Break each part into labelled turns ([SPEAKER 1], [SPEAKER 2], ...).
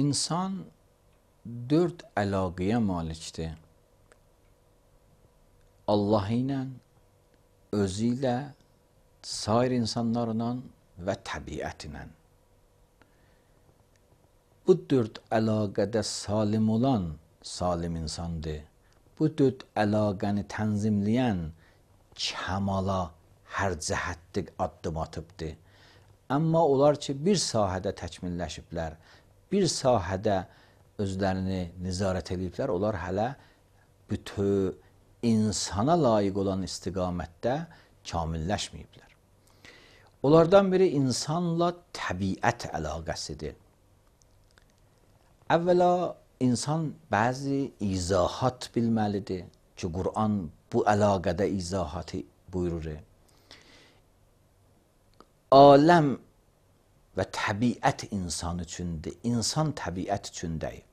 [SPEAKER 1] İnsan dörd əlaqəyə malikdir. Allah ilə, özü ilə, sair insanlarla və təbiət ilə. Bu dörd əlaqədə salim olan salim insandır. Bu dörd əlaqəni tənzimləyən kəmala hər cəhətdə addım atıbdır. Amma onlar ki, bir sahədə təkmilləşiblər, bir sahədə özlərini nizarət ediblər, onlar hələ bütöv insana layiq olan istiqamətdə kamilləşməyiblər. Onlardan biri insanla təbiət əlaqəsidir. Əvvəla insan bəzi izahat bilməlidir ki, Qur'an bu əlaqədə izahatı buyurur. Aləm və təbiət insan üçündür, insan təbiət üçündəyir.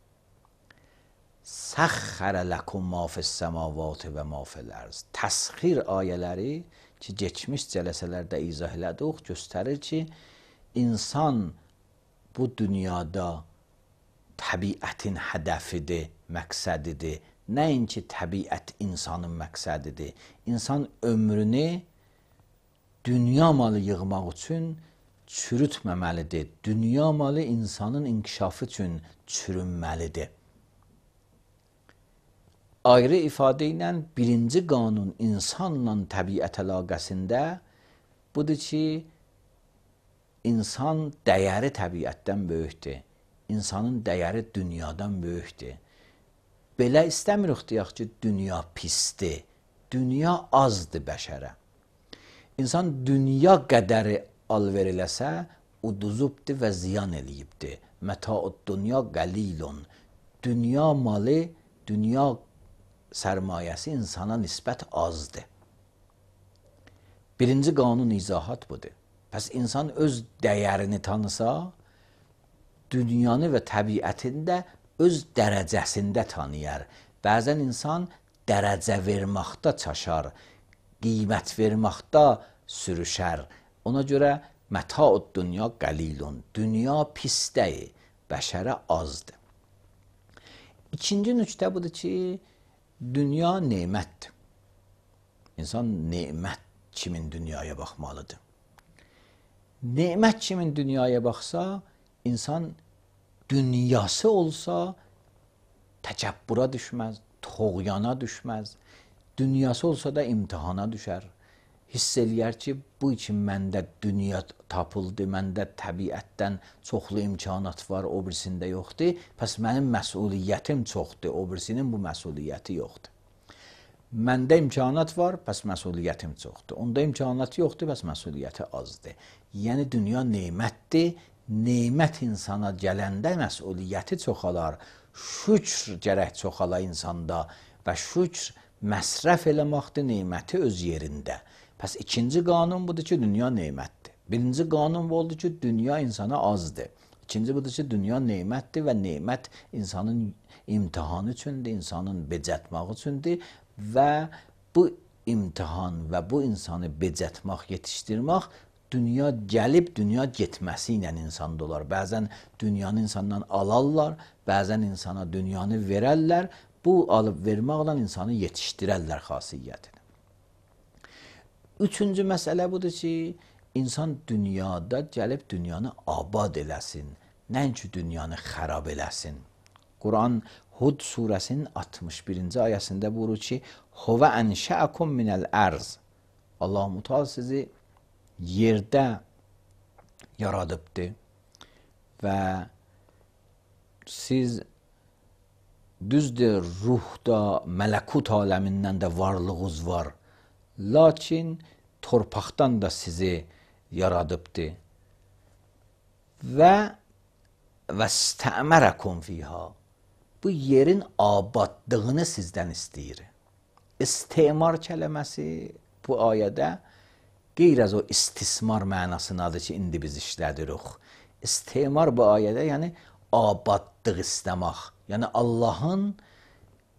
[SPEAKER 1] Səxxərə ləkum ma fis-səmavati və ma fil-ərz. Təsxir ayələri ki, keçmiş cələsələrdə izah elədik, göstərir ki, insan bu dünyada təbiətin hədəfidir, məqsədidir. Nəinki təbiət insanın məqsədidir. İnsan ömrünü dünya malı yığmaq üçün çürütməməlidir. Dünya malı insanın inkişafı üçün çürünməlidir. Ayrı ifadə ilə birinci qanun insanla təbiət əlaqəsində budur ki, insan dəyəri təbiətdən böyükdür. İnsanın dəyəri dünyadan böyükdür. Belə istəmirik deyək ki, dünya pisdir. Dünya azdır bəşərə. İnsan dünya qədəri alver eləsə, uduzubdur və ziyan eləyibdir. Məta'ud dünya qalilun. Dünya malı, dünya sərmayəsi insana nisbət azdır. Birinci qanun izahat budur. Pəs insan öz dəyərini tanısa, dünyanı və təbiətində öz dərəcəsində tanıyar. Bəzən insan dərəcə verməkdə çaşar, qiymət verməkdə sürüşər. Ona görə məta'ud dünya qalilun. Dünya pisdəyir, bəşərə azdır. İkinci nöqtə budur ki, dünya nemətdir. İnsan nemət kimin dünyaya baxmalıdır. Nemət kimin dünyaya baxsa, insan dünyası olsa təkəbbura düşməz, toğyana düşməz. Dünyası olsa da imtihana düşər. Hiss eləyər ki, bu için məndə dünya tapıldı, məndə təbiətdən çoxlu imkanat var, o birisində yoxdur. Pəs mənim məsuliyyətim çoxdur, o birisinin bu məsuliyyəti yoxdur. Məndə imkanat var, pəs məsuliyyətim çoxdur. Onda imkanat yoxdur, pəs məsuliyyəti azdır. Yəni, dünya nemətdir. Nemət insana gələndə məsuliyyəti çoxalar. Şükr gərək çoxala insanda və şükr məsrəf eləməkdir neməti öz yerində. Pəs ikinci qanun budur ki, dünya nemətdir. Birinci qanun bu oldu ki, dünya insana azdır. İkinci budur ki, dünya nemətdir və nemət insanın imtihanı üçündür, insanın becətmək üçündür və bu imtihan və bu insanı becətmək, yetişdirmək dünya gəlib, dünya getməsi ilə insanda olar. Bəzən dünyanı insandan alarlar, bəzən insana dünyanı verərlər. Bu alıb verməklə insanı yetişdirərlər xasiyyətini. Üçüncü məsələ budur ki, insan dünyada gəlib dünyanı abad eləsin, nəinki dünyanı xərab eləsin. Quran Hud surəsinin 61-ci ayəsində buyurur ki, Huvə ənşəəkum minəl ərz. Allah-u Teala sizi yerdə yaradıbdır və siz düzdür, ruhda, mələkut aləmindən də varlığınız var. Lakin torpaqdan da sizi yaradıbdır. Və vəstəmərəkum fiyha. Bu yerin abadlığını sizdən istəyir. İstimar kələməsi bu ayədə qeyr az o istismar mənasındadır ki, indi biz işlədirik. İstimar bu ayədə, yəni abadlıq istəmək. Yəni Allahın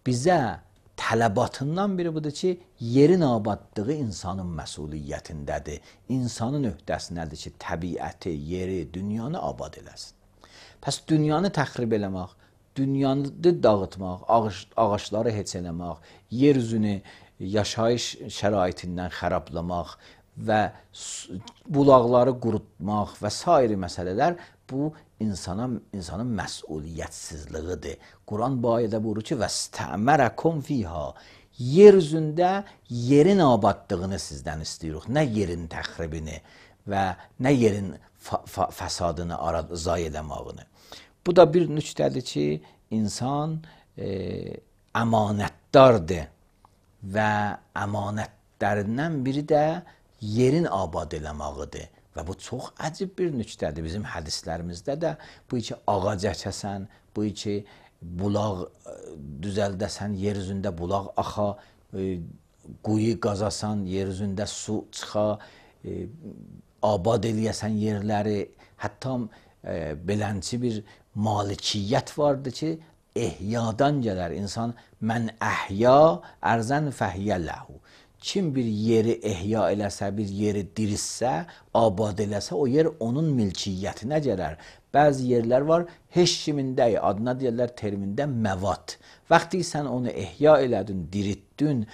[SPEAKER 1] bizə tələbatından biri budur ki, yerin abadlığı insanın məsuliyyətindədir. İnsanın öhdəsindədir ki, təbiəti, yeri, dünyanı abad eləsin. Pəs dünyanı təxrib eləmək, dünyanı dağıtmaq, ağacları heç eləmək, yer üzünü yaşayış şəraitindən xərablamaq və bulaqları qurutmaq və sair məsələlər bu insanın məsuliyyətsizliyidir. Quran bu ayədə buyurur ki, vəstəmərəkum fiha. Yer üzündə yerin abadlığını sizdən istəyirik, nə yerin təxribini və nə yerin fəsadını zay eləmağını. Bu da bir nüqtədir ki, insan əmanətdardır və əmanətlərindən biri də yerin abad eləmağıdır. Və bu çox əcib bir nüqtədir. Bizim hədislərimizdə də bu ki, ağac əkəsən, bu ki, bulaq düzəldəsən, yer üzündə bulaq axa, quyu qazasan, yer üzündə su çıxa, abad eləyəsən yerləri, hətta belənçi bir malikiyyət vardır ki, ehyadan gələr. İnsan, mən əhya ərzən fəhiyyə ləhu. Kim bir yeri ehya eləsə, bir yeri dirissə, abad eləsə, o yer onun milkiyyətinə gələr. Bəzi yerlər var, heç kimində, adına deyirlər termində məvat. Vaxtı sən onu ehya elədin, diritdin,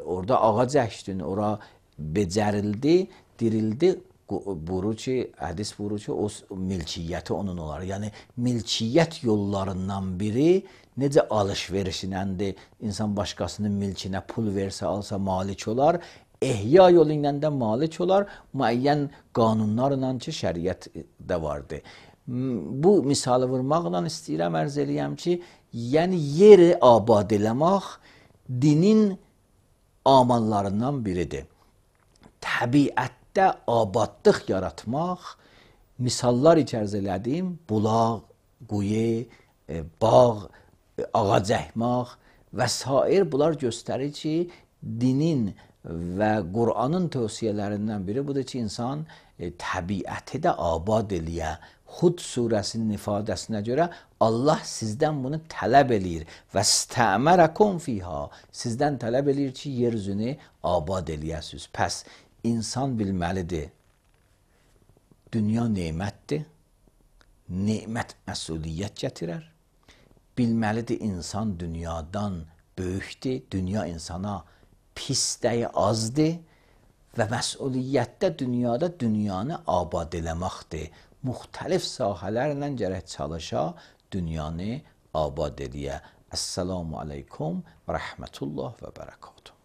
[SPEAKER 1] orada ağac əkdin, ora becərildi, dirildi, buyurur ki, hədis buyurur ki, o milkiyyəti onun olar. Yəni, milkiyyət yollarından biri necə alış-verişinəndir, insan başqasının milkinə pul versə, alsa malik olar, ehya yolu ilə də malik olar, müəyyən qanunlarla ki, şəriətdə vardır. Bu misalı vurmaqla istəyirəm, ərz eləyəm ki, yəni yeri abad eləmək dinin amallarından biridir. Təbiətdə abadlıq yaratmaq, misallar içərz elədim, bulaq, quyu, bağ, ağac əkmək və s. bunlar göstərir ki, dinin və Qur'anın tövsiyələrindən biri budur ki, insan təbiəti də abad eləyə. Hud surəsinin ifadəsinə görə Allah sizdən bunu tələb eləyir. Vəstəmərəkum fiha. Sizdən tələb eləyir ki, yer üzünü abad eləyəsiniz. Pəs insan bilməlidir, dünya nemətdir, nemət məsuliyyət gətirər. Bilməlidir, insan dünyadan böyükdür, dünya insana pis dəyi azdır və məsuliyyətdə dünyada dünyanı abad eləməkdir. Müxtəlif sahələrlə gərək çalışa, dünyanı abad eləyə. Əssalamu aleykum və rəhmətullah və bərəkatuhu.